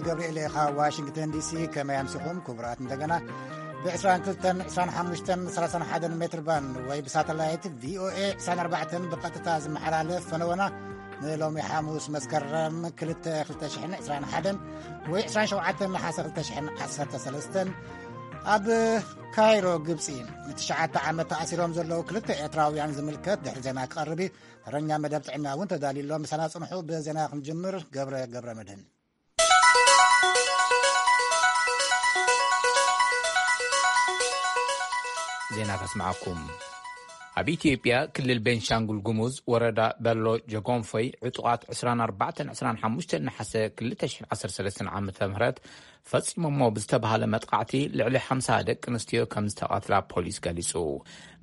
ገብርኤል ኢኻ፣ ዋሽንግተን ዲሲ። ከመይ ኣምሲኹም ክቡራት? እንደገና ብ22፣ 25፣ 31 ሜትር ባንድ ወይ ብሳተላይት ቪኦኤ 24 ብቐጥታ ዝመሓላለፍ ፈነወና ንሎሚ ሓሙስ መስከረም 2፣ 2021 ወይ 27 ነሓሰ 2013 ኣብ ካይሮ ግብፂ ንትሽዓተ ዓመት ተኣሲሮም ዘለዉ ክልተ ኤርትራውያን ዝምልከት ድሕሪ ዜና ክቐርብ እዩ። ተረኛ መደብ ጥዕና እውን ተዳልዩ ኣሎ። ምሳና ጽንሑ። ብዜና ክንጅምር ገብረ ገብረ መድህን። ዜና ከስምዓኩም። ኣብ ኢትዮጵያ ክልል ቤንሻንጉል ጉሙዝ ወረዳ በሎ ጀጎንፎይ ዕጡቓት 24፣ 25 ነሓሰ 2013 ዓ ም ፈጺሞሞ ብዝተባሃለ መጥቃዕቲ ልዕሊ 50 ደቂ ኣንስትዮ ከም ዝተቐትላ ፖሊስ ገሊጹ።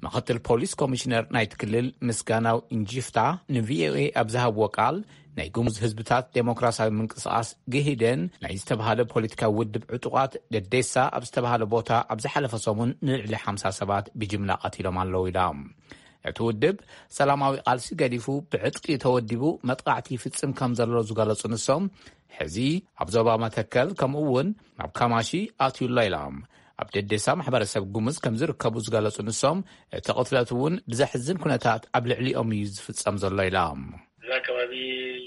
ምኽትል ፖሊስ ኮሚሽነር ናይቲ ክልል ምስጋናው እንጂፍታ ንቪኦኤ ኣብ ዝሃብዎ ቃል፣ ናይ ጉሙዝ ህዝብታት ዴሞክራሲያዊ ምንቅስቓስ ግሂደን ናይ ዝተባሃለ ፖለቲካዊ ውድብ ዕጡቓት ደዴሳ ኣብ ዝተባሃለ ቦታ ኣብ ዝሓለፈ ሰሙን ንልዕሊ 50 ሰባት ብጅምላ ቀቲሎም ኣለዉ ኢሎም። እቲ ውድብ ሰላማዊ ቃልሲ ገዲፉ ብዕጥቂ ተወዲቡ መጥቃዕቲ ይፍጽም ከም ዘሎ ዝገለጹ ንሶም፣ ሕዚ ኣብ ዞባ መተከል ከምኡ እውን ናብ ካማሺ ኣትዩ ኣሎ ኢሎም። ኣብ ደዴሳ ማሕበረሰብ ጉሙዝ ከም ዝርከቡ ዝገለጹ ንሶም፣ እቲ ቅትለት እውን ብዘሕዝን ኩነታት ኣብ ልዕሊኦም እዩ ዝፍጸም ዘሎ ኢሎም። እዛ ከባቢ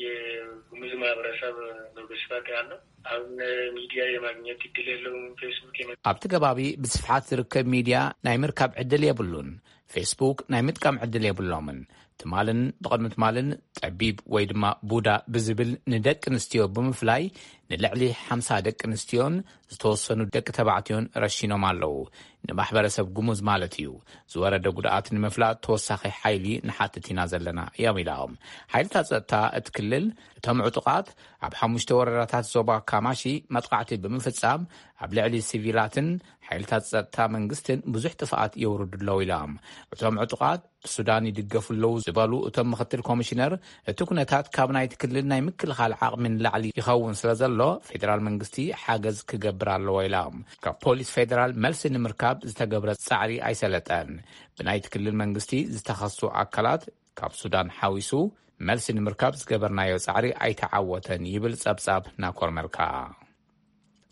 የጉሙዝ ማህበረሰብ ነው በስፋት ያለው። አሁን ሚዲያ የማግኘት እድል የለውም። ፌስቡክ የመ- ኣብቲ ከባቢ ብስፍሓት ዝርከብ ሚድያ ናይ ምርካብ ዕድል የብሉን። ፌስቡክ ናይ ምጥቃም ዕድል የብሎምን። ትማልን ብቕድሚ ትማልን ጠቢብ ወይ ድማ ቡዳ ብዝብል ንደቂ ኣንስትዮ ብምፍላይ ንልዕሊ 50 ደቂ ኣንስትዮን ዝተወሰኑ ደቂ ተባዕትዮን ረሺኖም ኣለዉ። ንማሕበረሰብ ጉሙዝ ማለት እዩ። ዝወረደ ጉድኣት ንምፍላጥ ተወሳኺ ሓይሊ ንሓትት ኢና ዘለና እዮም ኢሎም። ሓይልታት ጸጥታ እቲ ክልል እቶም ዕጡቓት ኣብ ሓሙሽተ ወረዳታት ዞባ ካማሺ መጥቃዕቲ ብምፍጻም ኣብ ልዕሊ ሲቪላትን ሓይልታት ጸጥታ መንግስትን ብዙሕ ጥፍኣት የውርዱ ኣለዉ ኢሎም። እቶም ዕጡቓት ሱዳን ይድገፉ ኣለዉ ዝበሉ እቶም ምኽትል ኮሚሽነር፣ እቲ ኩነታት ካብ ናይቲ ክልል ናይ ምክልኻል ዓቕሚ ንላዕሊ ይኸውን ስለ ዘሎ ፌደራል መንግስቲ ሓገዝ ክገብር ኣለዎ ኢሎም። ካብ ፖሊስ ፌደራል መልሲ ንምርካብ ዝተገብረ ጻዕሪ ኣይሰለጠን። ብናይቲ ክልል መንግስቲ ዝተኸሱ ኣካላት ካብ ሱዳን ሓዊሱ መልሲ ንምርካብ ዝገበርናዮ ጻዕሪ ኣይተዓወተን ይብል ጸብጻብ ናኮር መልካ።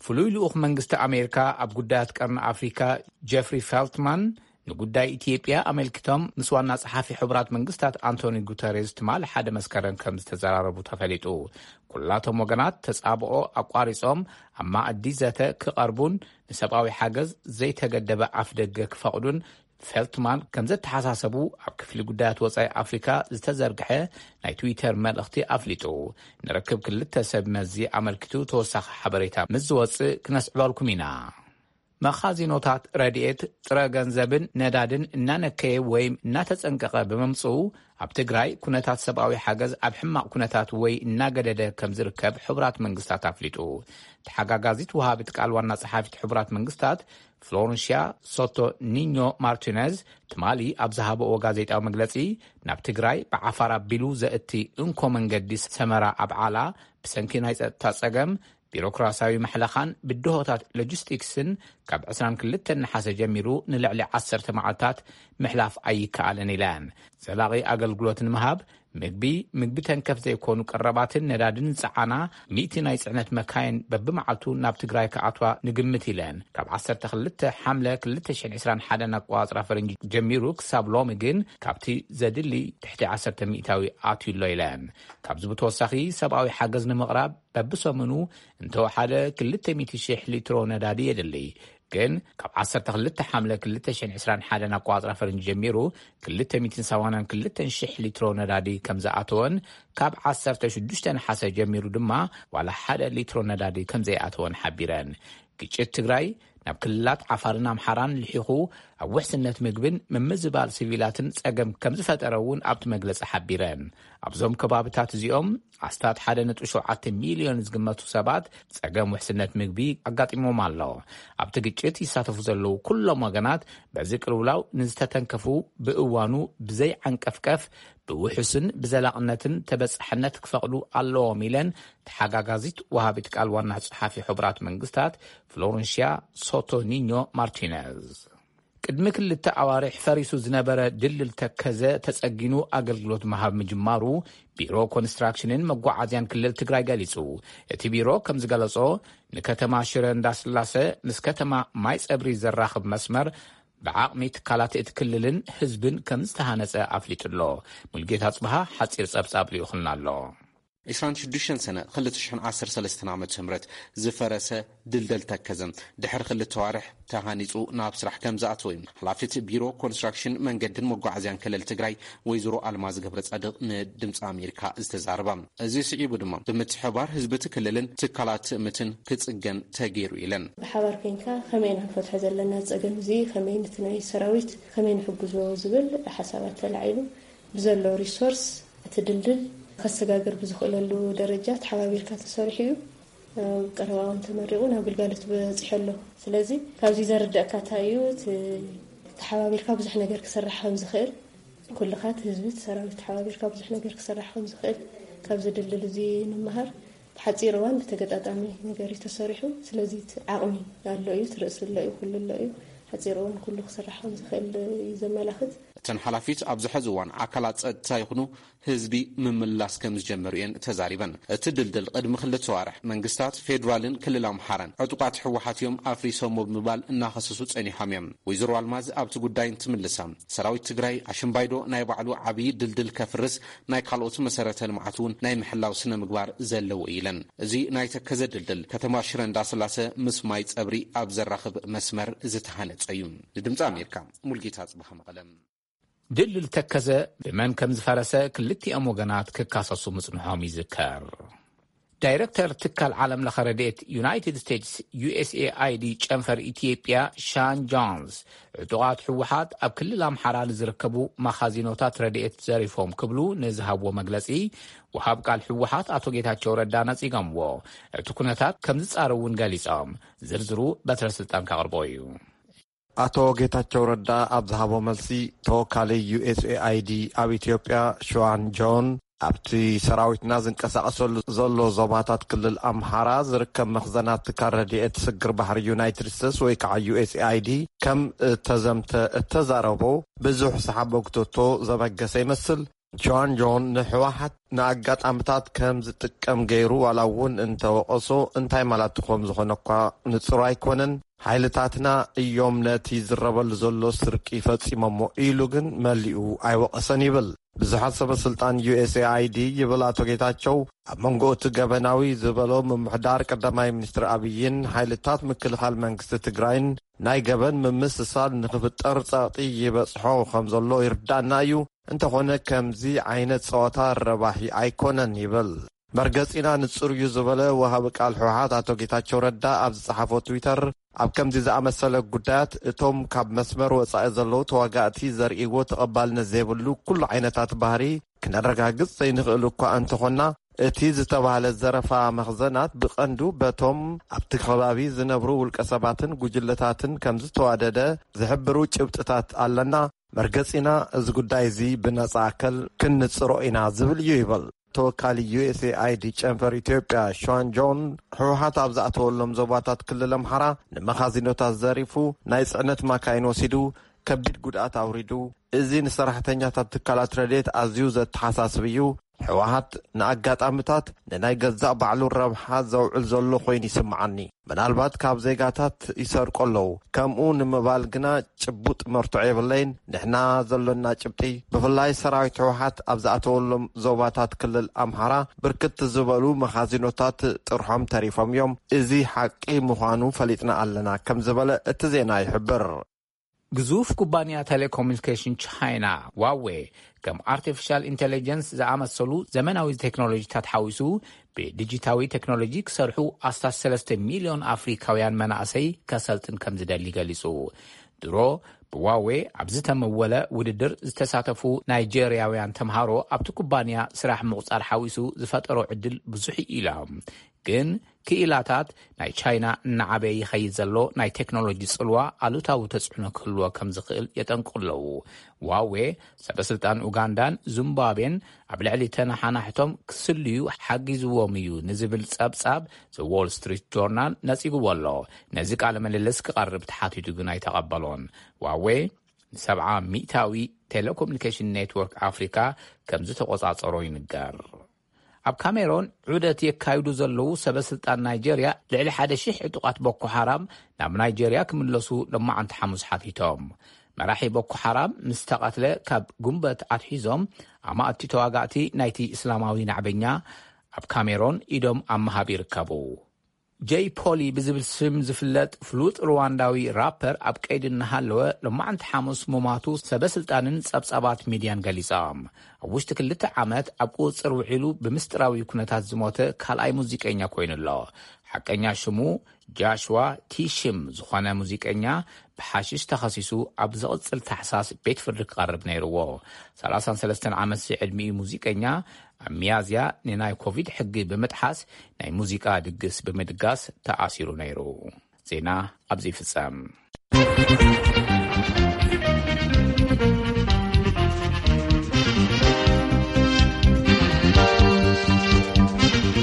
ፍሉይ ልኡኽ መንግስቲ ኣሜሪካ ኣብ ጉዳያት ቀርኒ ኣፍሪካ ጀፍሪ ፌልትማን ንጉዳይ ኢትዮጵያ ኣመልኪቶም ምስ ዋና ጸሓፊ ሕቡራት መንግስታት ኣንቶኒ ጉተሬዝ ትማሊ ሓደ መስከረም ከም ዝተዘራረቡ ተፈሊጡ። ኩላቶም ወገናት ተጻብኦ ኣቋሪጾም ኣብ ማእዲ ዘተ ክቐርቡን ንሰብኣዊ ሓገዝ ዘይተገደበ ኣፍ ደገ ክፈቕዱን ፌልትማን ከም ዘተሓሳሰቡ ኣብ ክፍሊ ጉዳያት ወጻኢ ኣፍሪካ ዝተዘርግሐ ናይ ትዊተር መልእኽቲ ኣፍሊጡ። ንርክብ ክልተ ሰብ መዚ ኣመልኪቱ ተወሳኺ ሓበሬታ ምስ ዝወጽእ ክነስዕበልኩም ኢና። መኻዚኖታት ረድኤት ጥረ ገንዘብን ነዳድን እናነከየ ወይ እናተጸንቀቐ ብምምጽኡ፣ ኣብ ትግራይ ኩነታት ሰብኣዊ ሓገዝ ኣብ ሕማቕ ኩነታት ወይ እናገደደ ከም ዝርከብ ሕቡራት መንግስታት ኣፍሊጡ። ተሓጋጋዚት ወሃቢት ቃል ዋና ጸሓፊት ሕቡራት መንግስታት ፍሎረንሺያ ሶቶ ኒኞ ማርቲነዝ ትማሊ ኣብ ዝሃበኦ ጋዜጣዊ መግለጺ፣ ናብ ትግራይ ብዓፋር ኣቢሉ ዘእቲ እንኮ መንገዲ ሰመራ ኣብዓላ ብሰንኪ ናይ ጸጥታ ጸገም፣ ቢሮክራሲያዊ መሕለኻን ብድሆታት ሎጂስቲክስን ካብ 22 ነሓሰ ጀሚሩ ንልዕሊ 10 መዓልታት ምሕላፍ ኣይከኣልን ኢለን። ዘላቒ ኣገልግሎት ንምሃብ ምግቢ፣ ምግቢ ተንከፍ ዘይኮኑ ቀረባትን ነዳድን ዝጸዓና ሚእቲ ናይ ጽዕነት መካይን በብመዓልቱ ናብ ትግራይ ክኣትዋ ንግምት ኢለን። ካብ 12 ሓምለ 2021 ኣቆጻጽራ ፈረንጂ ጀሚሩ ክሳብ ሎሚ ግን ካብቲ ዘድሊ ትሕቲ 10 ሚእታዊ ኣትዩ ኣሎ ኢለን። ካብዚ ብተወሳኺ ሰብኣዊ ሓገዝ ንምቕራብ በብሰሙኑ እንተወሓደ 200,000 ሊትሮ ነዳዲ የድሊ። ግን ካብ 12 ሓምለ 2021 ኣቆጻጽራ ፈረንጂ ጀሚሩ 282,000 ሊትሮ ነዳዲ ከም ዝኣተወን ካብ 16 ነሓሰ ጀሚሩ ድማ ዋላ ሓደ ሊትሮ ነዳዲ ከም ዘይኣተወን ሓቢረን። ግጭት ትግራይ ናብ ክልላት ዓፋርን ኣምሓራን ልሒኹ ኣብ ውሕስነት ምግብን ምምዝባል ሲቪላትን ጸገም ከም ዝፈጠረ እውን ኣብቲ መግለጺ ሓቢረን። ኣብዞም ከባብታት እዚኦም ኣስታት 1.7 ሚልዮን ዝግመቱ ሰባት ጸገም ውሕስነት ምግቢ ኣጋጢሞም ኣሎ። ኣብቲ ግጭት ይሳተፉ ዘለዉ ኩሎም ወገናት በዚ ቅልውላው ንዝተተንከፉ ብእዋኑ ብዘይ ዓንቀፍቀፍ ብውሑስን ብዘላቕነትን ተበጻሕነት ክፈቕዱ ኣለዎም ኢለን ተሓጋጋዚት ወሃቢት ቃል ዋና ጸሓፊ ሕቡራት መንግስታት ፍሎረንሺያ ሶቶ ኒኞ ማርቲነዝ። ቅድሚ ክልተ ኣዋርሕ ፈሪሱ ዝነበረ ድልድል ተከዘ ተጸጊኑ ኣገልግሎት ምሃብ ምጅማሩ ቢሮ ኮንስትራክሽንን መጓዓዝያን ክልል ትግራይ ገሊጹ። እቲ ቢሮ ከም ዝገለጾ፣ ንከተማ ሽረ እንዳስላሰ ምስ ከተማ ማይ ጸብሪ ዘራኽብ መስመር ብዓቕሚ ትካላት እቲ ክልልን ህዝብን ከም ዝተሃነጸ ኣፍሊጡ ኣሎ። ሙልጌታ ጽብሃ ሓጺር ጸብጻብ ልኢኹልና ኣሎ። ዕስራን ሽዱሽተን ሰነ ክልተ ሽሕን ዓሰርተ ሰለስተን ዓመተ ምህረት ዝፈረሰ ድልድል ተከዘ ድሕሪ ክልተ ዋርሕ ተሃኒጹ ናብ ስራሕ ከም ዝኣተወ እዩ ሓላፊት ቢሮ ኮንስትራክሽን መንገድን መጓዓዝያን ክልል ትግራይ ወይዘሮ ኣልማዝ ገብረ ጻድቕ ንድምፂ ኣሜሪካ ዝተዛረባ። እዚ ስዒቡ ድማ ብምትሕባር ህዝቢ እቲ ክልልን ትካላት ምትን ክጽገን ተገይሩ ኢለን። ብሓባር ኮይንካ ከመይ ኢና ክንፈትሖ ዘለና ጸገም እዚ፣ ከመይ ነቲ ናይ ሰራዊት ከመይ ንሕግዞ ዝብል ሓሳባት ተላዒሉ ብዘሎ ሪሶርስ እቲ ድልድል ከሰጋግር ብዝኽእለሉ ደረጃ ተሓባቢርካ ተሰሪሑ እዩ። ኣብ ቀረባ እዋን ተመሪቑ ናብ ግልጋሎት በፂሑ ኣሎ። ስለዚ ካብዚ ዘርደእካ እንታይ እዩ፣ እቲ ተሓባቢርካ ብዙሕ ነገር ክስራሕ ከም ዝኽእል፣ ኩልኻ እቲ ህዝቢ እቲ ሰራዊት ተሓባቢርካ ብዙሕ ነገር ክስራሕ ከም ዝኽእል ካብዚ ድልድል እዚ ንምሃር። ብሓፂር እዋን ብተገጣጣሚ ነገር እዩ ተሰሪሑ። ስለዚ እቲ ዓቕሚ ኣሎ እዩ፣ እቲ ርእሲ ኣሎ እዩ፣ ኩሉ ኣሎ እዩ። ሓፂር እዋን ኩሉ ክስራሕ ከም ዝኽእል እዩ ዘመላኽት። እተን ሓላፊት ኣብዚ ሕዚ እዋን ኣካላት ጸጥታ ይኹኑ ህዝቢ ምምላስ ከም ዝጀመሩ እየን ተዛሪበን። እቲ ድልድል ቅድሚ ክልተ ዋርሕ መንግስታት ፌዴራልን ክልል ኣምሓራን ዕጡቃት ህወሓት እዮም ኣፍሪሶሞ ብምባል እናኸሰሱ ጸኒሖም እዮም። ወይዘሮ ኣልማዝ ኣብቲ ጉዳይ እንትምልሳ፣ ሰራዊት ትግራይ ኣሽምባይዶ ናይ ባዕሉ ዓብዪ ድልድል ከፍርስ ናይ ካልኦት መሰረተ ልምዓት እውን ናይ ምሕላው ስነ ምግባር ዘለዎ እዩ ኢለን። እዚ ናይ ተከዘ ድልድል ከተማ ሽረ እንዳስላሰ ምስ ማይ ጸብሪ ኣብ ዘራኽብ መስመር ዝተሃነጸ እዩ። ንድምፂ ኣሜሪካ ሙልጌታ ጽባህ መቐለ። ድልድል ተከዘ ብመን ከም ዝፈረሰ ክልቲኦም ወገናት ክካሰሱ ምጽንሖም ይዝከር። ዳይረክተር ትካል ዓለም ለኸ ረድኤት ዩናይትድ ስቴትስ ዩ ኤስ ኤ ኣይ ዲ ጨንፈር ኢትዮጵያ ሻን ጆንስ፣ ዕጡቓት ህወሓት ኣብ ክልል ኣምሓራ ንዝርከቡ መኻዚኖታት ረድኤት ዘሪፎም ክብሉ ንዝሃብዎ መግለጺ፣ ወሃብ ቃል ህወሓት ኣቶ ጌታቸው ረዳ ነጺጎምዎ። እቲ ኩነታት ከም ዝጻረ እውን ገሊጾም። ዝርዝሩ በትረ ስልጣን ከቕርቦ እዩ። ኣቶ ጌታቸው ረዳ ኣብ ዝሃቦ መልሲ፣ ተወካሊ ዩ ኤስ ኤ ኣይ ዲ ኣብ ኢትዮጵያ ሽዋን ጆን፣ ኣብቲ ሰራዊትና ዝንቀሳቐሰሉ ዘሎ ዞባታት ክልል ኣምሓራ ዝርከብ መኽዘናት ትካል ረድኤት ስግር ባሕሪ ዩናይትድ ስቴትስ ወይ ከዓ ዩ ኤስ ኤ ኣይ ዲ ከም እተዘምተ እተዛረቦ ብዙሕ ሰሓቦ ክተቶ ዘበገሰ ይመስል። ጆን ጆን ንህወሓት ንኣጋጣምታት ከም ዝጥቀም ገይሩ ዋላ እውን እንተወቐሶ እንታይ ማለት ከም ዝኾነ እኳ ንጹር ኣይኮነን። ሓይልታትና እዮም ነቲ ዝረበሉ ዘሎ ስርቂ ፈጺሞሞ ኢሉ ግን መሊኡ ኣይወቐሰን ይብል። ብዙሓት ሰበ ስልጣን ዩ ኤስ ኤ ኣይ ዲ ይብል ኣቶ ጌታቸው ኣብ መንጎ እቲ ገበናዊ ዝበሎ ምምሕዳር ቀዳማይ ሚኒስትር ኣብይን ሓይልታት ምክልኻል መንግስቲ ትግራይን ናይ ገበን ምምስሳል ንኽፍጠር ጸቕጢ ይበጽሖ ከም ዘሎ ይርዳእና እዩ። እንተኾነ ከምዚ ዓይነት ጸወታ ረባሒ ኣይኮነን ይብል። መርገጺና ንጹር እዩ ዝበለ ወሃቢ ቃል ህወሓት ኣቶ ጌታቸው ረዳ ኣብ ዝጸሓፎ ትዊተር፣ ኣብ ከምዚ ዝኣመሰለ ጉዳያት እቶም ካብ መስመር ወጻኢ ዘለዉ ተዋጋእቲ ዘርእይዎ ተቐባልነት ዘይብሉ ኩሉ ዓይነታት ባህሪ ክነረጋግጽ ዘይንኽእል እኳ እንተኾንና፣ እቲ ዝተባህለ ዘረፋ መኽዘናት ብቐንዱ በቶም ኣብቲ ከባቢ ዝነብሩ ውልቀ ሰባትን ጉጅለታትን ከም ዝተዋደደ ዝሕብሩ ጭብጥታት ኣለና። መርገጺና እዚ ጉዳይ እዚ ብነጻ ኣካል ክንጽሮ ኢና ዝብል እዩ ይብል። ተወካሊ ዩ ኤስ ኤ ኣይ ዲ ጨንፈር ኢትዮጵያ ሸዋን ጆን፣ ህወሓት ኣብ ዝኣተወሎም ዞባታት ክልል ኣምሓራ ንመኻዚኖታት ዘሪፉ፣ ናይ ጽዕነት ማካይን ወሲዱ፣ ከቢድ ጉድኣት ኣውሪዱ፣ እዚ ንሰራሕተኛታት ትካላት ረድኤት ኣዝዩ ዘተሓሳስብ እዩ። ህወሓት ንኣጋጣምታት ንናይ ገዛእ ባዕሉ ረብሓ ዘውዕል ዘሎ ኮይኑ ይስምዓኒ። ምናልባት ካብ ዜጋታት ይሰርቁ ኣለዉ። ከምኡ ንምባል ግና ጭቡጥ መርትዖ የብለይን። ንሕና ዘሎና ጭብጢ፣ ብፍላይ ሰራዊት ህወሓት ኣብ ዝኣተወሎም ዞባታት ክልል ኣምሓራ ብርክት ዝበሉ መኻዚኖታት ጥርሖም ተሪፎም እዮም። እዚ ሓቂ ምዃኑ ፈሊጥና ኣለና ከም ዝበለ እቲ ዜና ይሕብር። ግዙፍ ኩባንያ ቴሌኮሙኒኬሽን ቻይና ዋዌ፣ ከም ኣርቲፊሻል ኢንተለጀንስ ዝኣመሰሉ ዘመናዊ ቴክኖሎጂታት ሓዊሱ ብዲጂታዊ ቴክኖሎጂ ክሰርሑ ኣስታት ሰለስተ ሚልዮን ኣፍሪካውያን መናእሰይ ከሰልጥን ከም ዝደሊ ገሊጹ። ድሮ ብዋዌ ኣብ ዝተመወለ ውድድር ዝተሳተፉ ናይጄርያውያን ተምሃሮ ኣብቲ ኩባንያ ስራሕ ምቑጻር ሓዊሱ ዝፈጠሮ ዕድል ብዙሕ እዩ ኢሎም። ግን ክኢላታት ናይ ቻይና እናዓበየ ይኸይድ ዘሎ ናይ ቴክኖሎጂ ጽልዋ ኣሉታዊ ተጽዕኖ ክህልዎ ከም ዝኽእል የጠንቅቑ ኣለዉ። ዋዌ፣ ሰበስልጣን ኡጋንዳን ዚምባብዌን ኣብ ልዕሊ ተነሓናሕቶም ክስልዩ ሓጊዝዎም እዩ ንዝብል ጸብጻብ ዘ ዎል ስትሪት ጆርናል ነጺግዎ ኣሎ። ነዚ ቃለ ምልልስ ክቐርብ ተሓቲቱ ግን ኣይተቐበሎን። ዋዌ ንሰብዓ ሚእታዊ ቴሌኮሙኒኬሽን ኔትወርክ ኣፍሪካ ከም ዝተቖጻጸሮ ይንገር። ኣብ ካሜሮን ዑደት የካይዱ ዘለዉ ሰበ ስልጣን ናይጀርያ ልዕሊ ሓደ ሺሕ ዕጡቓት ቦኮ ሓራም ናብ ናይጀርያ ክምለሱ ሎማዓንቲ ሓሙስ ሓቲቶም። መራሒ ቦኮ ሓራም ምስ ተቐትለ ካብ ጉንበት ኣትሒዞም ኣማእቲ ተዋጋእቲ ናይቲ እስላማዊ ናዕበኛ ኣብ ካሜሮን ኢዶም ኣብ ምሃብ ይርከቡ። ጀይ ፖሊ ብዝብል ስም ዝፍለጥ ፍሉጥ ሩዋንዳዊ ራፐር ኣብ ቀይዲ እናሃለወ ሎማዓንቲ ሓሙስ ሙማቱ ሰበ ስልጣንን ጸብጻባት ሚድያን ገሊጾም። ኣብ ውሽጢ ክልተ ዓመት ኣብ ቁጽጽር ውዒሉ ብምስጢራዊ ኩነታት ዝሞተ ካልኣይ ሙዚቀኛ ኮይኑ ኣሎ። ሓቀኛ ሽሙ ጃሽዋ ቲሽም ዝኾነ ሙዚቀኛ ብሓሽሽ ተኸሲሱ ኣብ ዝቕጽል ታሕሳስ ቤት ፍርዲ ክቐርብ ነይርዎ። ሰላሳን ሰለስተን ዓመት ዝዕድሚኡ ሙዚቀኛ ኣብ ሚያዝያ ንናይ ኮቪድ ሕጊ ብምጥሓስ ናይ ሙዚቃ ድግስ ብምድጋስ ተኣሲሩ ነይሩ። ዜና ኣብዚ ይፍጸም።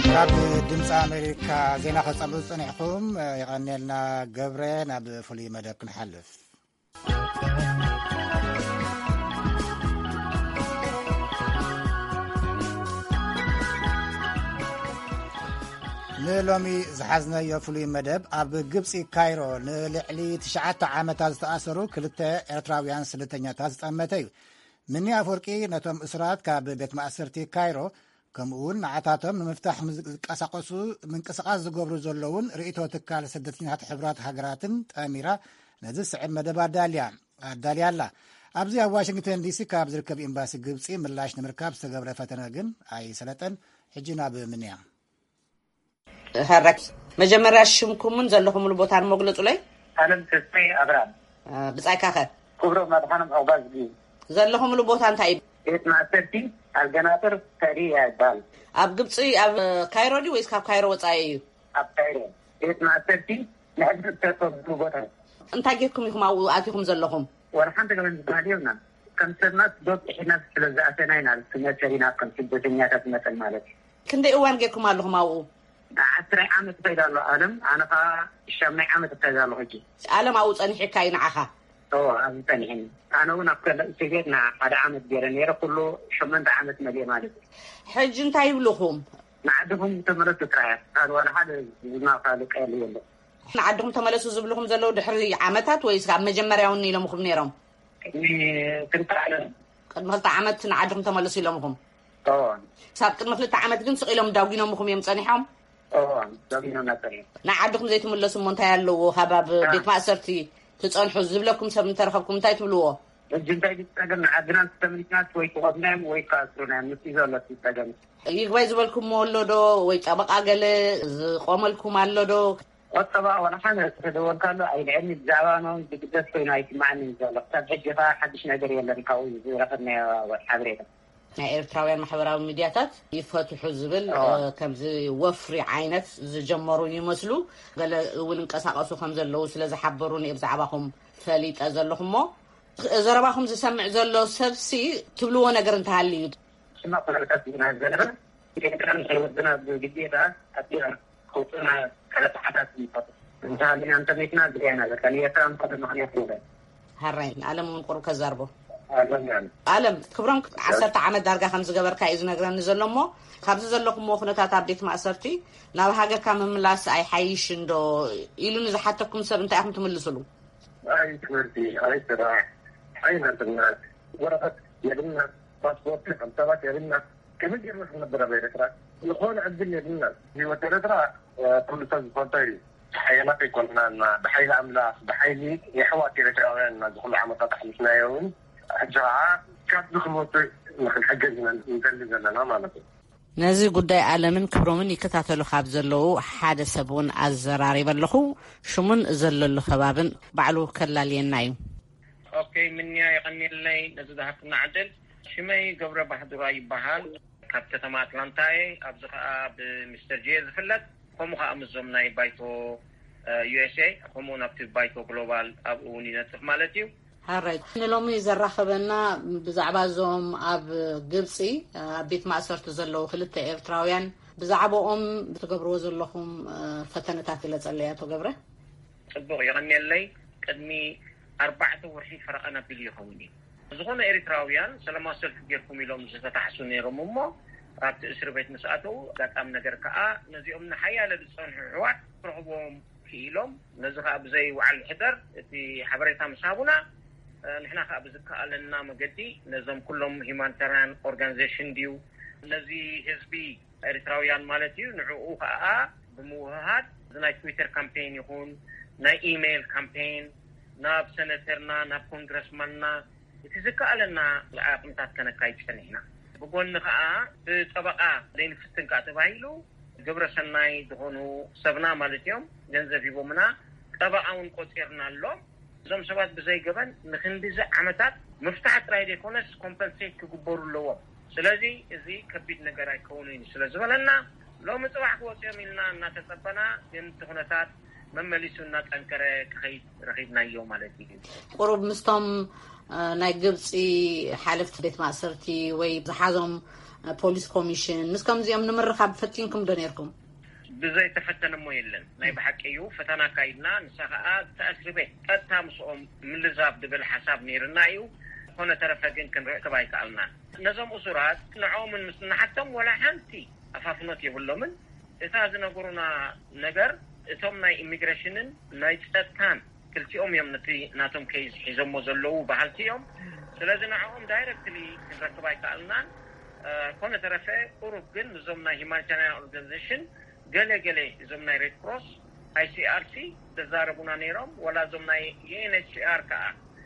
ካብ ድምፂ ኣሜሪካ ዜና ከፀሉ ዝፀኒሕኩም የቐንየልና። ገብረ፣ ናብ ፍሉይ መደብ ክንሓልፍ። ንሎሚ ዝሓዝነዮ ፍሉይ መደብ፣ ኣብ ግብፂ ካይሮ ንልዕሊ ትሽዓተ ዓመታት ዝተኣሰሩ ክልተ ኤርትራውያን ስደተኛታት ዝጠመተ እዩ። ምኒ ኣፈወርቂ ነቶም እሱራት ካብ ቤት ማእሰርቲ ካይሮ፣ ከምኡ እውን ንዓታቶም ንምፍታሕ ዝንቀሳቐሱ፣ ምንቅስቓስ ዝገብሩ ዘለውን ርእይቶ ትካል ስደተኛታት ሕቡራት ሃገራትን ጠሚራ ነዚ ዝስዕብ መደብ ኣዳልያ ኣዳልያ ኣላ። ኣብዚ ኣብ ዋሽንግተን ዲሲ ካብ ዝርከብ ኤምባሲ ግብፂ ምላሽ ንምርካብ ዝተገብረ ፈተነ ግን ኣይሰለጠን። ሕጂ ናብ ምንያ። ሃራክስ፣ መጀመርያ ሽምኩምን ዘለኹምሉ ቦታን መግለጹለይ። ኣለም ተስፋይ ኣብርሃም። እ፣ ብጻይካ ኸ? ክብሮም ኣድሓኖም ዑቕባዝጊ። ዘለኹምሉ ቦታ እንታይ እዩ? ቤት ማእሰርቲ ኣልገናጥር ተሪያ ይበሃል። ኣብ ግብጺ፣ ኣብ ካይሮ ድዩ ወይስ ካብ ካይሮ ወጻኢ እዩ? ኣብ ካይሮ። ቤት ማእሰርቲ ንሕድሪ እተፈብሉ ቦታ። እንታይ ጌርኩም ኢኹም ኣብኡ ኣቲኹም ዘለኹም? ዋላ ሓንቲ ገበን ዝበሃል የብልናን። ከም ሰብና ዶብ ጥሒና ስለ ዝኣተና ኢና፣ መሰልና ከም ስደተኛታት መጠን ማለት እዩ። ክንደይ እዋን ጌርኩም ኣለኹም ኣብኡ? ዓስራይ ዓመት ይኸይድ ኣሎ ኣለም፣ ኣነ ኸዓ ሻምናይ ዓመት ይኸይድ ኣሎ ሕጂ። ኣለም ኣብኡ ጸኒሕካ እዩ ንዓኻ? እወ፣ ኣብዚ ጸኒሕኒ። ኣነ እውን ኣብ ካልእ እስር ቤት ንሓደ ዓመት ገይረ ነይረ፣ ኩሉ ሸሞንተ ዓመት መሊኤ ማለት እዩ። ሕጂ እንታይ ይብልኹም? ንዓድኹም ተመለሱ ጥራይ፣ ካልእ ዋላ ሓደ ዝማኻልቀ የለ። ንዓድኹም ተመለሱ ዝብልኹም ዘለዉ ድሕሪ ዓመታት ወይስ ኣብ መጀመርያ እውን ኢሎምኹም ነይሮም? ቅድሚ ክልተ ዓመት። ቅድሚ ክልተ ዓመት ንዓድኹም ተመለሱ ኢሎምኹም? እወ። ክሳብ ቅድሚ ክልተ ዓመት ግን ስቕ ኢሎም ዳጒኖምኹም እዮም ጸኒሖም? እወ፣ ዳጒኖምና ጸኒሖም። ንዓድኹም ዘይትምለሱ እሞ እንታይ ኣለዎ? ካብ ኣብ አ። ቤት ማእሰርቲ ትጸንሑ ዝብለኩም ሰብ እንተረኸብኩም እንታይ ትብልዎ? ሕጂ እንታይ ድዩ ጸገም? ንዓድና እንተተመሊስናስ ወይ ክቐትሉና እዮም ወይ ክኣስሩና እዮም። ንሱ እዩ ዘሎ እቲ ጸገም። ይግባይ ዝበልኩምዎ ኣሎ ዶ? ወይ ጠበቓ ገለ ዝቖመልኩም ኣሎ ዶ? ቁጠባ ዋላ ሓደ ዝተደወልካሉ ኣይልዕልኒ፣ ብዛዕባ ኖን ዝግደስ ኮይኑ ኣይስማዕንን ዘሎ። ክሳብ ሕጂ ኸኣ ሓድሽ ነገር የለን ካብኡ ዝረኸብናዮ ሓበሬታ። ናይ ኤርትራውያን ማሕበራዊ ሚድያታት ይፈትሑ ዝብል፣ ኣዎ። እ፣ ከምዚ ወፍሪ ዓይነት ዝጀመሩ ይመስሉ። ገለ እውን እንቀሳቐሱ ከም ዘለዉ ስለ ዝሓበሩኒ እየ ብዛዕባኹም ፈሊጠ ዘለኹ እሞ፣ ዘረባኹም ዝሰምዕ ዘሎ ሰብሲ ትብልዎ ነገር እንተሃልዩ? ሽማ ኩነታት ኢና ዘለና። ኤርትራን ወድና ብግዴታ ኣቢና ክውፅና ካልእ ሰዓታት ይፈቱ። እንተሃሊና እንተመይትና ግዳይና በቃ ንኤርትራ እንኳ ብምኽንያት ንበል። ሃራይ ንኣለም እውን ቁሩብ ከዛርቦ። ኣለም፣ ኣለም። ኣለም ክብሮም፣ ዓሰርተ ዓመት ዳርጋ ከም ዝገበርካ እዩ ዝነግረኒ ዘሎ እሞ፣ ካብዚ ዘለኹምዎ ኩነታት ኣብ ቤት ማእሰርቲ ናብ ሃገርካ ምምላስ ኣይሓይሽን ዶ ኢሉ ንዝሓተኩም ሰብ እንታይ ኢኹም ትምልስሉ? ኣይ ትምህርቲ፣ ኣይ ስራሕ፣ ኣይ ናጽነት፣ ወረቐት የብልና፣ ፓስፖርት ከም ሰባት የብልና። ከመይ ጌርና ክንነብር ኣብ ኤርትራ? ዝኾነ ዕድል የብልና። ህይወት ኤርትራ፣ እ፣ ኩሉ ሰብ ዝፈልጦ እዩ። ሓያላት ኣይኮንናን፣ ብሓይሊ ኣምላኽ፣ ብሓይሊ የሕዋት ኤርትራውያን ኢና እዚ ኩሉ ዓመታት ኣሕሊፍናዮ እውን። ሕጂ ኸዓ ካብዚ ክንወፅእ ንክንሕገዝ ኢና ንደሊ ዘለና ማለት እዩ። ነዚ ጉዳይ ኣለምን ክብሮምን ይከታተሉ ካብ ዘለዉ ሓደ ሰብ እውን ኣዘራሪበ ኣለኹ። ሽሙን ዘለሉ ከባብን ባዕሉ ከላልየና እዩ። ኦኬ፣ ምንያ የቐንየለይ ነዚ ዝሃብክና ዕድል። ሽመይ ገብረ ባህዱራ ይበሃል። ካብ ከተማ ኣትላንታ እየ። ኣብዚ ኸኣ ብሚስተር ጄ ዝፍለጥ። ከምኡ ከዓ ምስዞም ናይ ባይቶ ዩ ኤስ ኤ፣ ከምኡ ናብቲ ባይቶ ግሎባል ኣብኡ እውን ይነጥፍ ማለት እዩ። ሓራይ ንሎሚ ዘራኸበና ብዛዕባ እዞም ኣብ ግብፂ ኣብ ቤት ማእሰርቲ ዘለዉ ክልተ ኤርትራውያን ብዛዕባኦም ትገብርዎ ዘለኹም ፈተነታት ግለፀለይ ኣቶ ገብረ። ፅቡቕ፣ የቐንየለይ። ቅድሚ ኣርባዕተ ወርሒ ፈረቓን ኣቢሉ ይኸውን እዩ። ዝኾነ ኤርትራውያን ሰላማዊ ሰልፊ ጌርኩም ኢሎም ዝተታሕሱ ነይሮም እሞ ኣብቲ እስሪ ቤት ምስ ኣተው ኣጋጣሚ ነገር ከዓ ነዚኦም ንሓያለ ዝፀንሑ ኣሕዋት ክረኽብዎም ክኢሎም። ነዚ ከዓ ብዘይ ውዓል ሕደር እቲ ሓበሬታ ምስ ሃቡና ንሕና ከዓ ብዝከኣለና መገዲ ነዞም ኩሎም ሂማኒታርያን ኦርጋኒዜሽን ድዩ ነዚ ህዝቢ ኤርትራውያን ማለት እዩ። ንዕኡ ከዓ ብምውህሃድ እዚ ናይ ትዊተር ካምፔን ይኹን ናይ ኢሜይል ካምፔን ናብ ሰነተርና ናብ ኮንግረስማንና እቲ ዝከኣለና ዓቕምታት ከነካይድ ጸኒሕና። ብጎኒ ከዓ ብጠበቓ ዘይንፍትን ከዓ ተባሂሉ ግብረ ሰናይ ዝኾኑ ሰብና ማለት እዮም ገንዘብ ሂቦምና። ጠበቓ እውን ቆፂርና ኣሎ። እዞም ሰባት ብዘይ ገበን ንክንዲዚ ዓመታት ምፍታሕ ጥራይ ዘይኮነስ ኮምፐንሴት ክግበሩ ኣለዎም። ስለዚ እዚ ከቢድ ነገር ኣይከውንን እዩ ስለ ዝበለና ሎሚ ፅባሕ ክወፅኦም ኢልና እናተፀበና ግን እቲ ኩነታት መመሊሱ እናጠንከረ ክኸይድ ረኺብናዮ ማለት እዩ። ቁሩብ ምስቶም ናይ ግብፂ ሓለፍቲ ቤት ማእሰርቲ ወይ ዝሓዞም ፖሊስ ኮሚሽን ምስ ከምዚኦም ንምርኻብ ፈቲንኩም ዶ ነርኩም? ብዘይተፈተነ እሞ የለን። ናይ ብሓቂ እዩ ፈተና ኣካይድና። ንሳ ከዓ እቲ እስሪ ቤት ቀጥታ ምስኦም ምልዛብ ዝብል ሓሳብ ነይርና እዩ። ዝኾነ ተረፈ ግን ክንረክብ ኣይከኣልናን። ነዞም እሱራት ንዕኦምን ምስ ንሓቶም ወላ ሓንቲ ኣፋፍኖት የብሎምን። እታ ዝነገሩና ነገር እቶም ናይ ኢሚግሬሽንን ናይ ፀጥታን ክልቲኦም እዮም ነቲ ናቶም ኬዝ ሒዞሞ ዘለዉ በሃልቲ እዮም። ስለዚ ንዕኦም ዳይረክትሊ ክንረክብ ኣይከኣልናን። ኮነ ተረፈ ቁሩብ ግን ንዞም ናይ ሂማኒታርያን ኦርጋኒዜሽን ገለ ገለ እዞም ናይ ሬድ ክሮስ ኣይሲኣርሲ ዘዛረቡና ነይሮም። ወላ እዞም ናይ ዩኤንኤችሲኣር ከዓ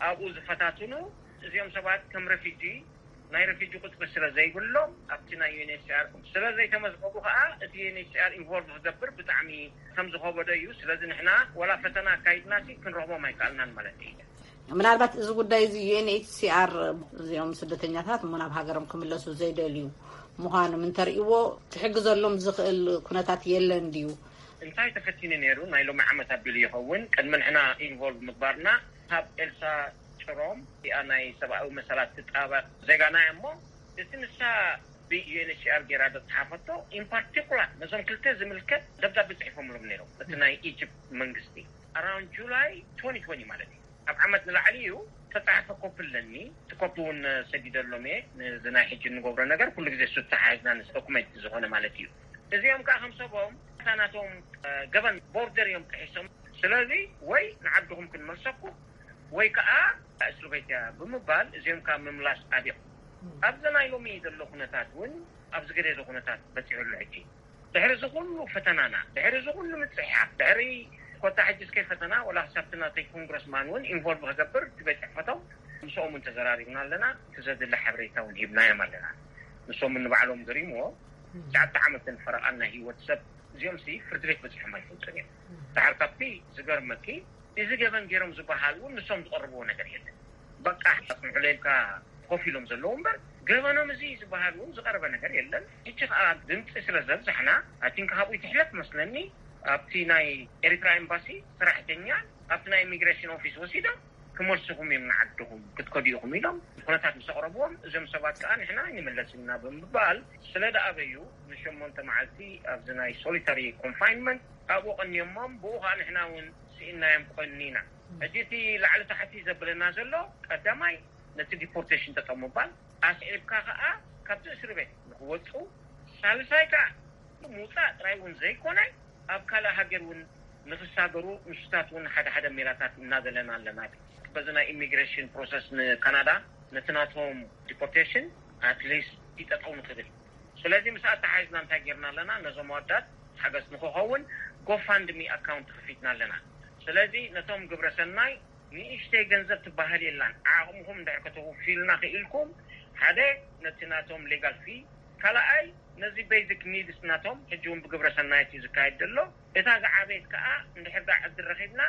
ኣብኡ ዝፈታትኑ እዚኦም ሰባት ከም ረፊጂ ናይ ረፊጂ ቁፅሪ ስለ ዘይብሎም ኣብቲ ናይ ዩኤንኤችሲኣር ስለ ዘይተመዝገቡ ከዓ እቲ ዩኤንኤችሲኣር ኢንቮልቭ ክገብር ብጣዕሚ ከም ዝኸበዶ እዩ። ስለዚ ንሕና ወላ ፈተና ኣካይድና ሲ ክንረኽቦም ኣይከኣልናን ማለት እዩ። ምናልባት እዚ ጉዳይ እዚ ዩኤንኤችሲኣር እዚኦም ስደተኛታት እሞ ናብ ሃገሮም ክምለሱ ዘይደልዩ ምዃኖም እንተርእይዎ ክሕግዘሎም ዝኽእል ኩነታት የለን ድዩ? እንታይ ተፈቲኑ ነይሩ ናይ ሎሚ ዓመት ኣቢሉ ይኸውን ቅድሚ ንሕና ኢንቮልቭ ምግባርና ካብ ኤልሳ ጭሮም እቲኣ ናይ ሰብኣዊ መሰላት ትጣበቕ ዜጋና እያ እሞ እቲ ንሳ ብዩኤንኤችሲኣር ጌራ ዘፅሓፈቶ ኢን ፓርቲኩላር ነዞም ክልተ ዝምልከት ደብዳቤ ፅሒፎምሎም ነይሮም እቲ ናይ ኢጅፕት መንግስቲ ኣራውንድ ጁላይ ትወንቲ ትወንቲ ማለት እዩ። ካብ ዓመት ንላዕሊ እዩ ተፃሓፈ ኮፒ ኣለኒ። እቲ ኮፒ እውን ሰዲደሎም እየ። ነዚ ናይ ሕጂ እንገብሮ ነገር ኩሉ ግዜ እሱ ተተሓሒዝና ንስ ዶኩመንት ዝኾነ ማለት እዩ። እዚኦም ከዓ ከም ሰቦም እታ ናቶም ገበን ቦርደር እዮም ጥሒሶም። ስለዚ ወይ ንዓድኹም ክንመልሰኩም ወይ ከዓ እስር ቤት እያ ብምባል እዚኦም ከዓ ምምላስ ኣብዮም። ኣብዚ ናይ ሎሚ ዘሎ ኩነታት እውን ኣብዚ ገደደ ኩነታት በፂሑ ኣሎ ሕጂ። ድሕሪ እዚ ኩሉ ፈተናና ድሕሪ እዚ ኩሉ ምፅሕሓፍ ድሕሪ ኮታ ሕጂ እስከ ፈተና ወላ ክሳብቲ ናተይ ኮንግረስማን እውን ኢንቮልቭ ክገብር እቲ ቤት ፅሕፈቶም ምስኦም እውን ተዘራሪብና ኣለና። እቲ ዘድሊ ሓበሬታ እውን ሂብናዮም ኣለና። ንሶም ንባዕሎም ገሪምዎ ትሽዓተ ዓመትን ፈረቓን ናይ ህይወት ሰብ እዚኦም ሲ ፍርዲ ቤት በፂሖም ኣይፈልጡን እዮም። ድሓር ካብቲ ዝገርመኪ እዚ ገበን ገይሮም ዝበሃል እውን ንሶም ዝቐርብዎ ነገር የለን። በቃ ኣፅንሑለይ ኢልካ ኮፍ ኢሎም ዘለዉ እምበር ገበኖም እዚ ዝበሃል እውን ዝቐረበ ነገር የለን። ሕጂ ከዓ ድምፂ ስለ ዘብዛሕና ኣቲንካ ካብኡ ትሕለፍ መስለኒ ኣብቲ ናይ ኤርትራ ኤምባሲ ሰራሕተኛ ኣብቲ ናይ ኢሚግሬሽን ኦፊስ ወሲዶም ክመልስኹም እዮም ንዓድኹም ክትከዱ ኢኹም ኢሎም ኩነታት ምስ ኣቕረብዎም እዞም ሰባት ከዓ ንሕና ኣይንምለስን ኢና ብምባል ስለ ደኣበዩ ንሸሞንተ መዓልቲ ኣብዚ ናይ ሶሊታሪ ኮንፋይንመንት ኣብኡ ቀንዮሞም ብኡ ከዓ ንሕና እውን ስኢናዮም ቀኒና። ሕጂ እቲ ላዕሊ ታሕቲ ዘብለና ዘሎ ቀዳማይ ነቲ ዲፖርቴሽን ጠጠው ምባል ኣስዒብካ ከዓ ካብቲ እስሪ ቤት ንክወፁ ሳልሳይ ከዓ ምውፃእ ጥራይ እውን ዘይኮነ ኣብ ካልእ ሃገር እውን ንክሳገሩ ንሱታት እውን ሓደ ሓደ ሜላታት እናደለና ኣለና። በዚ ናይ ኢሚግሬሽን ፕሮሰስ ንካናዳ ነቲ ናቶም ዲፖርቴሽን ኣትሊስት ይጠጠው ንክብል ስለዚ ምስ ኣተሓሒዝና እንታይ ጌርና ኣለና ነዞም ኣወዳት ሓገዝ ንክኸውን ጎፋንድሚ ኣካውንት ከፊትና ኣለና። ስለዚ ነቶም ግብረ ሰናይ ንእሽተይ ገንዘብ ትበሃል የላን ዓቕምኹም እንድሕር ከተውፊልና ክኢልኩም ሓደ ነቲ ናቶም ሌጋል ፊ ካልኣይ ነዚ ቤዚክ ኒድስ ናቶም ሕጂ እውን ብግብረ ሰናየት እዩ ዝካየድ ዘሎ እታ ዝዓበየት ከዓ እንድሕር ዳ ዕድል ረኺብና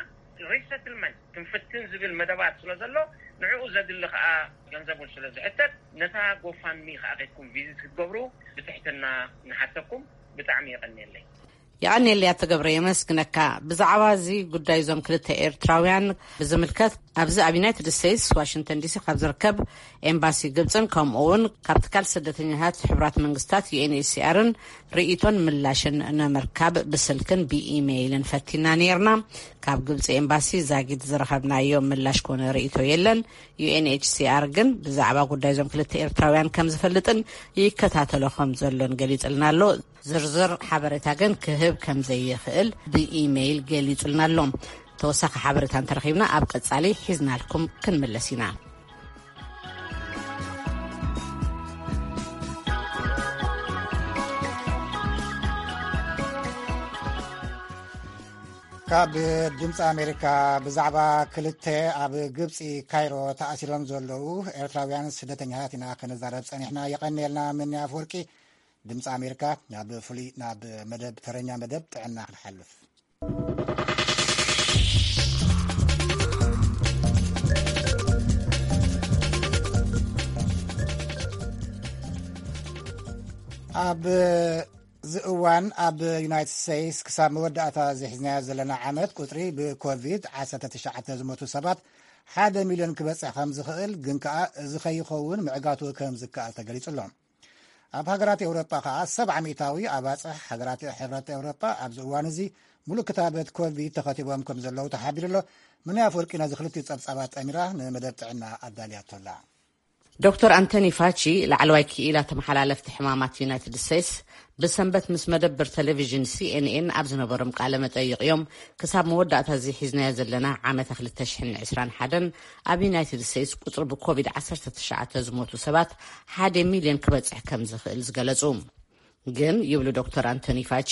ሪሰትልመንት ክንፍትን ዝብል መደባት ስለ ዘሎ ንዕኡ ዘድሊ ከዓ ገንዘብ እውን ስለ ዝሕተት ነታ ጎፋንሚ ከዓ ከድኩም ቪዚት ክትገብሩ ብትሕትና ንሓተኩም። ብጣዕሚ የቐንየለይ። የቐኔልያ ተገብረ፣ የመስግነካ። ብዛዕባ እዚ ጉዳይ እዞም ክልተ ኤርትራውያን ብዝምልከት፣ ኣብዚ ኣብ ዩናይትድ ስቴትስ ዋሽንግተን ዲሲ ካብ ዝርከብ ኤምባሲ ግብፅን ከምኡ እውን ካብ ትካል ስደተኛታት ሕቡራት መንግስታት ዩኤንኤችሲኣርን ርእይቶን ምላሽን ንምርካብ ብስልክን ብኢሜይልን ፈቲና ነይርና። ካብ ግብፂ ኤምባሲ ዛጊድ ዝረኸብናዮ ምላሽ ኮነ ርእይቶ የለን። ዩኤንኤችሲኣር ግን ብዛዕባ ጉዳይ እዞም ክልተ ኤርትራውያን ከም ዝፈልጥን ይከታተሎ ከም ዘሎን ገሊጽልና ኣሎ። ዝርዝር ሓበሬታ ግን ክህብ ከም ዘይኽእል ብኢሜይል ገሊጹልና ኣሎ። ተወሳኺ ሓበሬታ እንተረኺብና ኣብ ቀጻሊ ሒዝናልኩም ክንምለስ ኢና። ካብ ድምፂ ኣሜሪካ ብዛዕባ ክልተ ኣብ ግብፂ ካይሮ ተኣሲሮም ዘለዉ ኤርትራውያን ስደተኛታት ኢና ክንዛረብ ጸኒሕና። የቐንየልና። ምንያ ኣፈወርቂ፣ ድምፂ ኣሜሪካ፣ ናብ ፍሉይ ናብ መደብ፣ ተረኛ መደብ ጥዕና ክንሓልፍ። ኣብ እዚ እዋን ኣብ ዩናይትድ ስቴትስ ክሳብ መወዳእታ ዝሒዝናዮ ዘለና ዓመት ቁፅሪ ብኮቪድ ዓሰርተ ትሽዓተ ዝሞቱ ሰባት ሓደ ሚልዮን ክበፅሕ ከም ዝኽእል፣ ግን ከኣ እዚ ከይኸውን ምዕጋቱ ከም ዝከኣል ተገሊጹ ኣሎ። ኣብ ሃገራት ኤውሮጳ ከኣ ሰብዓ ሚእታዊ ኣባፅሕ ሃገራት ሕብረት ኤውሮጳ ኣብዚ እዋን እዚ ሙሉእ ክታበት ኮቪድ ተኸቲቦም ከም ዘለዉ ተሓቢሩ ኣሎ። ምንያ ኣፈወርቂ ነዚ ክልቲኡ ጸብጻባት ጠሚራ ንመደብ ጥዕና ኣዳልያቶ ኣላ። ዶክተር ኣንቶኒ ፋቺ፣ ላዕለዋይ ክኢላ ተመሓላለፍቲ ሕማማት ዩናይትድ ስቴትስ፣ ብሰንበት ምስ መደብር ቴሌቪዥን ሲኤንኤን ኣብ ዝነበሮም ቃለ መጠይቕ እዮም፣ ክሳብ መወዳእታ እዚ ሒዝናዮ ዘለና ዓመተ ክልተ ሽሕን ዕስራን ሓደን ኣብ ዩናይትድ ስቴትስ ቁጽሪ ብኮቪድ ዓሰርተ ትሽዓተ ዝሞቱ ሰባት ሓደ ሚልዮን ክበጽሕ ከም ዝኽእል ዝገለጹ። ግን፣ ይብሉ ዶክተር ኣንቶኒ ፋቺ፣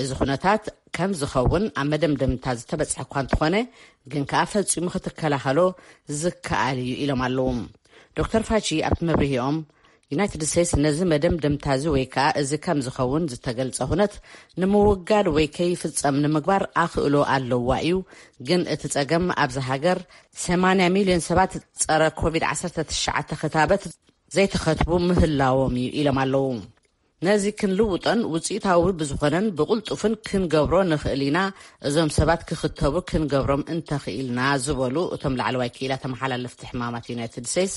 እዚ ኩነታት ከም ዝኸውን ኣብ መደምደምታ ዝተበጽሐ እኳ እንተኾነ፣ ግን ከኣ ፈጺሙ ክትከላኸሎ ዝከኣል እዩ ኢሎም ኣለዉ። ዶክተር ፋቺ ኣብቲ መብርሂኦም፣ ዩናይትድ ስቴትስ ነዚ መደምደምታ እዚ ወይ ከኣ እዚ ከም ዝኸውን ዝተገልጸ ኩነት ንምውጋድ ወይ ከይፍጸም ንምግባር ኣኽእሎ ኣለዋ እዩ፣ ግን እቲ ጸገም ኣብዚ ሃገር ሰማንያ ሚልዮን ሰባት ጸረ ኮቪድ ዓሰርተ ትሽዓተ ክታበት ዘይተኸትቡ ምህላዎም እዩ ኢሎም ኣለዉ። ነዚ ክንልውጦን ውጽኢታዊ ብዝኾነን ብቕልጡፍን ክንገብሮ ንኽእል ኢና፣ እዞም ሰባት ክኽተቡ ክንገብሮም እንተኽኢልና ዝበሉ እቶም ላዕለዋይ ክኢላ ተመሓላለፍቲ ሕማማት ዩናይትድ ስቴትስ፣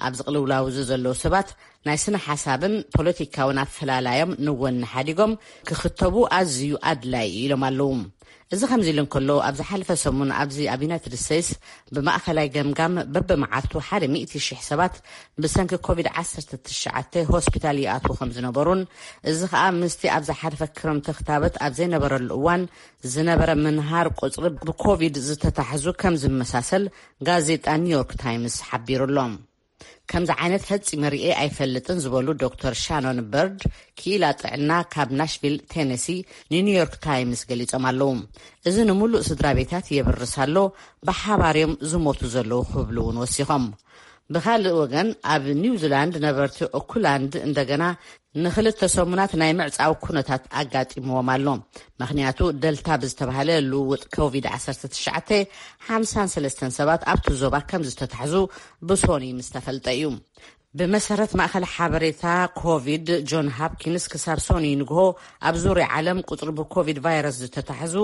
ኣብዚ ቅልውላው እዚ ዘለዉ ሰባት ናይ ስነ ሓሳብን ፖለቲካውን ኣፈላላዮም ንወኒ ሓዲጎም ክኽተቡ ኣዝዩ ኣድላይ እዩ ኢሎም ኣለዉ። እዚ ከምዚ ኢሉ እንከሎ፣ ኣብ ዝሓለፈ ሰሙን ኣብዚ ኣብ ዩናይትድ ስቴትስ ብማእኸላይ ገምጋም በብመዓልቱ ሓደ ሚእቲ ሽሕ ሰባት ብሰንኪ ኮቪድ ዓሰርተ ትሽዓተ ሆስፒታል ይኣትዉ ከም ዝነበሩን፣ እዚ ኸኣ ምስቲ ኣብ ዝሓለፈ ክረምቲ ክታበት ኣብ ዘይነበረሉ እዋን ዝነበረ ምንሃር ቁጽሪ ብኮቪድ ዝተታሕዙ ከም ዝመሳሰል ጋዜጣ ኒውዮርክ ታይምስ ሓቢሩ ኣሎ። ከምዚ ዓይነት ፈጺመ ርእየ ኣይፈልጥን ዝበሉ ዶክተር ሻኖን በርድ፣ ክኢላ ጥዕና ካብ ናሽቪል ቴነሲ፣ ንኒውዮርክ ታይምስ ገሊጾም ኣለዉ። እዚ ንምሉእ ስድራ ቤታት የብርስ ኣሎ፣ ብሓባር እዮም ዝሞቱ ዘለዉ ክብሉ እውን ወሲኾም። ብኻልእ ወገን፣ ኣብ ኒውዚላንድ ነበርቲ ኦክላንድ እንደገና ንኽልተ ሰሙናት ናይ ምዕጻው ኩነታት ኣጋጢምዎም ኣሎ። ምኽንያቱ ደልታ ብዝተባህለ ልውውጥ ኮቪድ ዓሰርተ ትሽዓተ ሓምሳን ሰለስተን ሰባት ኣብቲ ዞባ ከም ዝተታሕዙ ብሶኒ ምስ ተፈልጠ እዩ። ብመሰረት ማእኸል ሓበሬታ ኮቪድ ጆን ሃፕኪንስ፣ ክሳብ ሶኒ ንግሆ ኣብ ዙርያ ዓለም ቁጽሪ ብኮቪድ ቫይረስ ዝተታሕዙ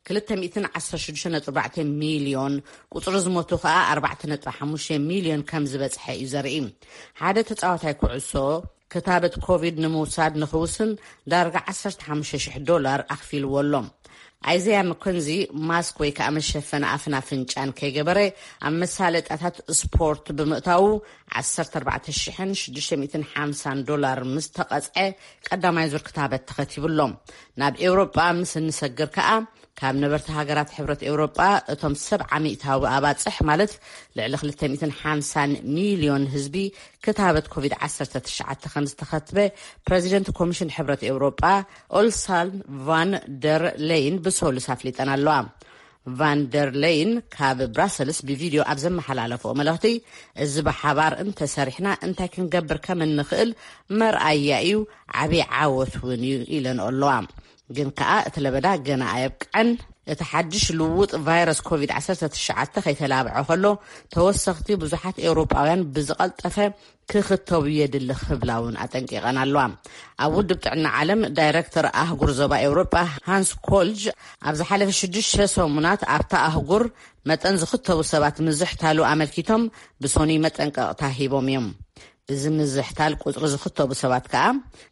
ክልተ ሚእትን ዓሰርተ ሽዱሽተ ነጥቢ ኣርባዕተ ሚልዮን፣ ቁጽሪ ዝሞቱ ከኣ ኣርባዕተ ነጥቢ ሓሙሽተ ሚልዮን ከም ዝበጽሐ እዩ ዘርኢ። ሓደ ተጻዋታይ ኩዕሶ ክታበት ኮቪድ ንምውሳድ ንኽውስን ዳርጋ ዓሰርተ ሓሙሽተ ሽሕ ዶላር ኣኽፊልዎ ኣሎ። ኣይዘያ መኮንዚ ማስክ ወይ ከኣ መሸፈኒ ኣፍን ኣፍንጫን ከይገበረ ኣብ መሳለጣታት ስፖርት ብምእታዉ ዓሰርተ ኣርባዕተ ሽሕን ሽዱሽተ ሚእትን ሓምሳን ዶላር ምስ ተቐጽዐ ቀዳማይ ዙር ክታበት ተኸቲቡ ኣሎ። ናብ ኤውሮጳ ምስ እንሰግር ከኣ ካብ ነበርቲ ሃገራት ሕብረት ኤውሮጳ እቶም ሰብዓ ሚእታዊ ኣባጽሕ ማለት ልዕሊ ክልተ ሚእትን ሓምሳን ሚልዮን ህዝቢ ክታበት ኮቪድ ዓሰርተ ትሽዓተ ከም ዝተኸትበ ፕረዚደንት ኮሚሽን ሕብረት ኤውሮጳ ኦልሳን ቫን ደር ለይን ብሰሉስ ኣፍሊጠን ኣለዋ። ቫን ደር ለይን ካብ ብራሰልስ ብቪድዮ ኣብ ዘመሓላለፍኦ መልእኽቲ፣ እዚ ብሓባር እንተሰሪሕና እንታይ ክንገብር ከም እንኽእል መርኣያ እዩ፣ ዓብዪ ዓወት እውን እዩ ኢለን ኣለዋ። ግን ከኣ እቲ ለበዳ ገና ኣየብቅዐን። እቲ ሓድሽ ልውጥ ቫይረስ ኮቪድ ዓሰርተ ትሽዓተ ከይተላብዐ ከሎ፣ ተወሰኽቲ ብዙሓት ኤውሮጳውያን ብዝቐልጠፈ ክኽተቡ የድሊ ክብላ እውን ኣጠንቂቐን ኣለዋ። ኣብ ውድብ ጥዕና ዓለም ዳይረክተር ኣህጉር ዞባ ኤውሮጳ ሃንስ ኮልጅ፣ ኣብ ዝሓለፈ ሽዱሽተ ሰሙናት ኣብታ ኣህጉር መጠን ዝኽተቡ ሰባት ምዝሕታሉ ኣመልኪቶም ብሶኑይ መጠንቀቕታ ሂቦም እዮም። እዚ ምዝሕታል ቁጽሪ ዝኽተቡ ሰባት ከኣ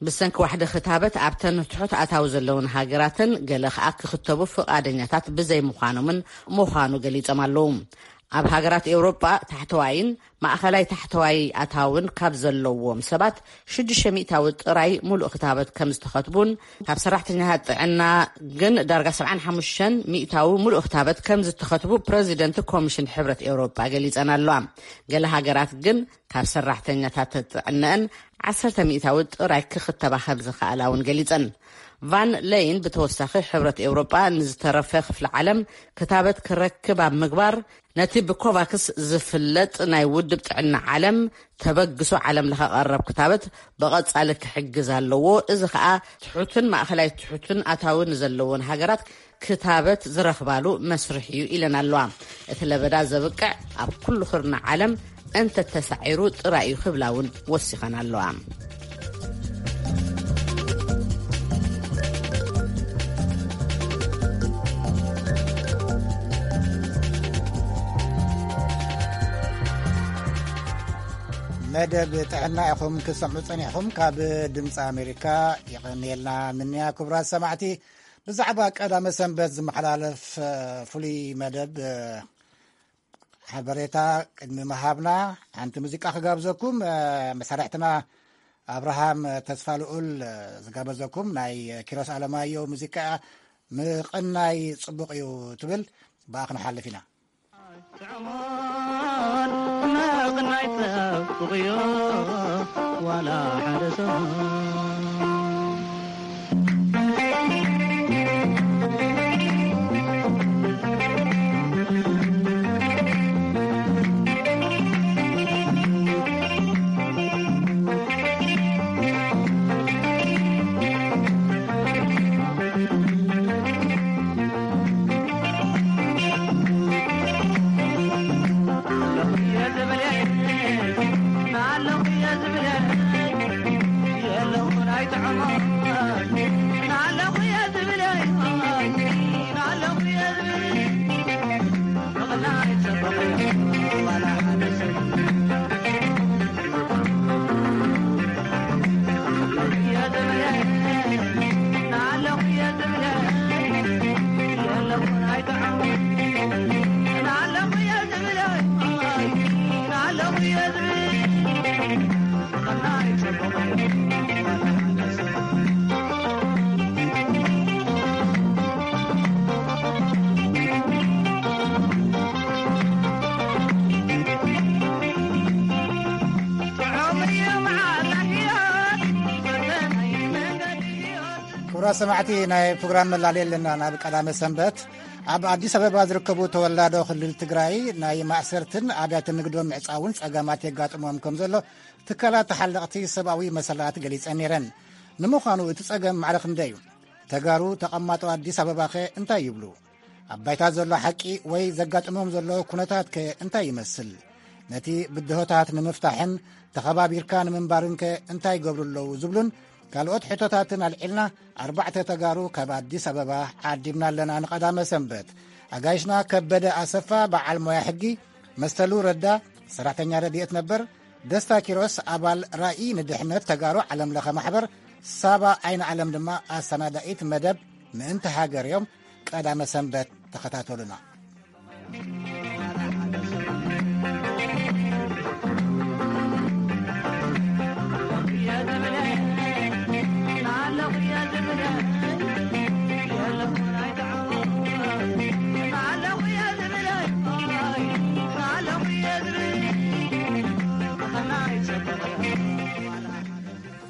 ብሰንኪ ዋሕዲ ክታበት ኣብተን ትሑት ኣታዊ ዘለውን ሃገራትን ገለ ከኣ ክኽተቡ ፍቓደኛታት ብዘይምዃኖምን ምዃኑ ገሊጾም ኣለዉ። ኣብ ሃገራት ኤውሮጳ ታሕተዋይን ማእኸላይ ታሕተዋይ ኣታውን ካብ ዘለዎም ሰባት ሽዱሽተ ሚእታዊ ጥራይ ሙሉእ ክታበት ከም ዝተኸትቡን ካብ ሰራሕተኛታት ጥዕና ግን ዳርጋ ሰብዓን ሓሙሽተን ሚእታዊ ሙሉእ ክታበት ከም ዝተኸትቡ ፕረዚደንት ኮሚሽን ሕብረት ኤውሮጳ ገሊጸን ኣለዋ። ገለ ሃገራት ግን ካብ ሰራሕተኛታት ጥዕነአን ዓሰርተ ሚእታዊ ጥራይ ክኽተባ ከም ዝኸኣላ እውን ገሊጸን። ቫን ለይን ብተወሳኺ ሕብረት ኤውሮጳ ንዝተረፈ ክፍሊ ዓለም ክታበት ክረክብ ኣብ ምግባር፣ ነቲ ብኮቫክስ ዝፍለጥ ናይ ውድብ ጥዕና ዓለም ተበግሶ ዓለም ለኸ ቀረብ ክታበት ብቐጻሊ ክሕግዝ ኣለዎ። እዚ ኸኣ ትሑትን ማእኸላይ ትሑትን ኣታዊ ንዘለዎን ሃገራት ክታበት ዝረኽባሉ መስርሕ እዩ ኢለን ኣለዋ። እቲ ለበዳ ዘብቅዕ ኣብ ኩሉ ክርና ዓለም እንተተሳዒሩ ጥራይ እዩ ክብላ እውን ወሲኸን ኣለዋ። መደብ ጥዕና ኢኹም ክትሰምዑ ጸኒሕኹም። ካብ ድምፂ ኣሜሪካ ይቐንየልና ምንያ። ክቡራት ሰማዕቲ፣ ብዛዕባ ቀዳመ ሰንበት ዝመሓላለፍ ፍሉይ መደብ ሓበሬታ ቅድሚ ምሃብና፣ ሓንቲ ሙዚቃ ክጋብዘኩም። መሳርሕትና ኣብርሃም ተስፋ ልኡል ዝጋበዘኩም ናይ ኪሮስ ኣለማዮ ሙዚቃ ምቕናይ ጽቡቕ እዩ ትብል፣ ብኣ ክንሓልፍ ኢና። ጥዑሙን ምቕናይ ጽቡቕ እዩ፣ ዋላ ሓደ ሰሙን። ክቡራት ሰማዕቲ፣ ናይ ፕሮግራም መላለይ ኣለና። ናብ ቀዳመ ሰንበት ኣብ ኣዲስ ኣበባ ዝርከቡ ተወላዶ ክልል ትግራይ ናይ ማእሰርትን ኣብያተ ንግዶም ምዕጻውን ጸገማት የጋጥሞም ከም ዘሎ ትካላት ተሓለቕቲ ሰብኣዊ መሰላት ገሊጸን ነይረን። ንምዃኑ እቲ ጸገም ማዕረ ክንደይ እዩ? ተጋሩ ተቐማጦ ኣዲስ ኣበባኸ እንታይ ይብሉ? ኣብ ባይታ ዘሎ ሓቂ ወይ ዘጋጥሞም ዘሎ ኩነታትከ እንታይ ይመስል? ነቲ ብድሆታት ንምፍታሕን ተኸባቢርካ ንምንባርንከ እንታይ ይገብሩ ኣለዉ? ዝብሉን ካልኦት ሕቶታትን ኣልዒልና ኣርባዕተ ተጋሩ ካብ ኣዲስ ኣበባ ዓዲምና ኣለና ንቐዳመ ሰንበት። ኣጋይሽና ከበደ ኣሰፋ በዓል ሞያ ሕጊ፣ መስተሉ ረዳ ሰራሕተኛ ረድኤት ነበር፣ ደስታ ኪሮስ ኣባል ራኢ ንድሕነት ተጋሩ ዓለም ለኸ ማሕበር፣ ሳባ ኣይነ ዓለም ድማ ኣሰናዳኢት መደብ ምእንቲ ሃገር እዮም። ቀዳመ ሰንበት ተኸታተሉና።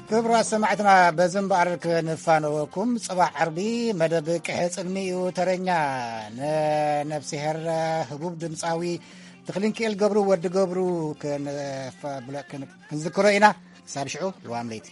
ክቡራት ሰማዕትና፣ በዚ እምበኣር ክንፋነወኩም፣ ጽባሕ ዓርቢ መደብ ቅሐ ጽልሚ እዩ ተረኛ። ንነፍስሄር ህቡብ ድምጻዊ ተኽሊንክኤል ገብሩ፣ ወዲ ገብሩ፣ ክንፈ-፣ ብለ-፣ ክን-፣ ክንዝክሮ ኢና። ክሳብ ሽዑ፣ ልዋም ለይቲ።